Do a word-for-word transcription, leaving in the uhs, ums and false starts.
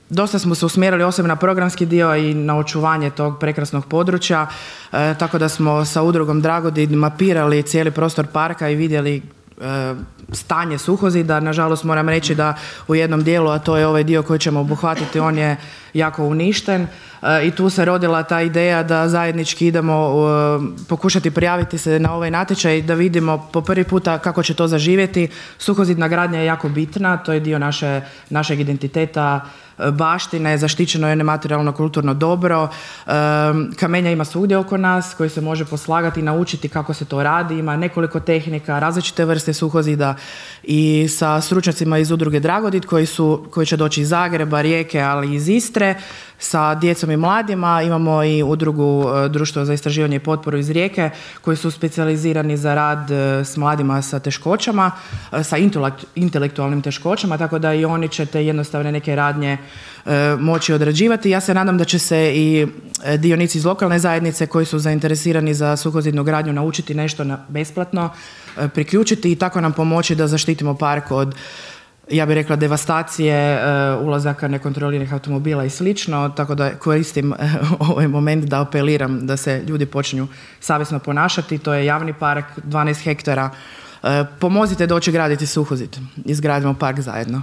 dosta smo se usmjerili osim na programski dio i na očuvanje tog prekrasnog područja, e, tako da smo sa udrugom Dragodin mapirali cijeli prostor parka i vidjeli e, stanje suhozida. Nažalost moram reći da u jednom dijelu, a to je ovaj dio koji ćemo obuhvatiti, on je jako uništen e, i tu se rodila ta ideja da zajednički idemo e, pokušati prijaviti se na ovaj natječaj da vidimo po prvi puta kako će to zaživjeti. Suhozidna gradnja je jako bitna, to je dio naše, našeg identiteta, baštine, zaštićeno je nematerijalno kulturno dobro. E, kamenja ima svugdje oko nas koji se može poslagati i naučiti kako se to radi. Ima nekoliko tehnika, različite vrste suhozida i sa stručnjacima iz udruge Dragodin koji, su, koji će doći iz Zagreba, Rijeke, ali i iz Istre sa djecom i mladima. Imamo i udrugu Društvo za istraživanje i potporu iz Rijeke koji su specijalizirani za rad s mladima sa teškoćama, sa intelektualnim teškoćama, tako da i oni će te jednostavne neke radnje moći odrađivati. Ja se nadam da će se i dionici iz lokalne zajednice koji su zainteresirani za suhozidnu gradnju naučiti nešto na besplatno, priključiti i tako nam pomoći da zaštitimo park od, ja bih rekla, devastacije, ulazaka nekontroliranih automobila i slično, tako da koristim ovaj moment da apeliram da se ljudi počinju savjesno ponašati. To je javni park, dvanaest hektara. Pomozite doći graditi suhozid. Izgradimo park zajedno.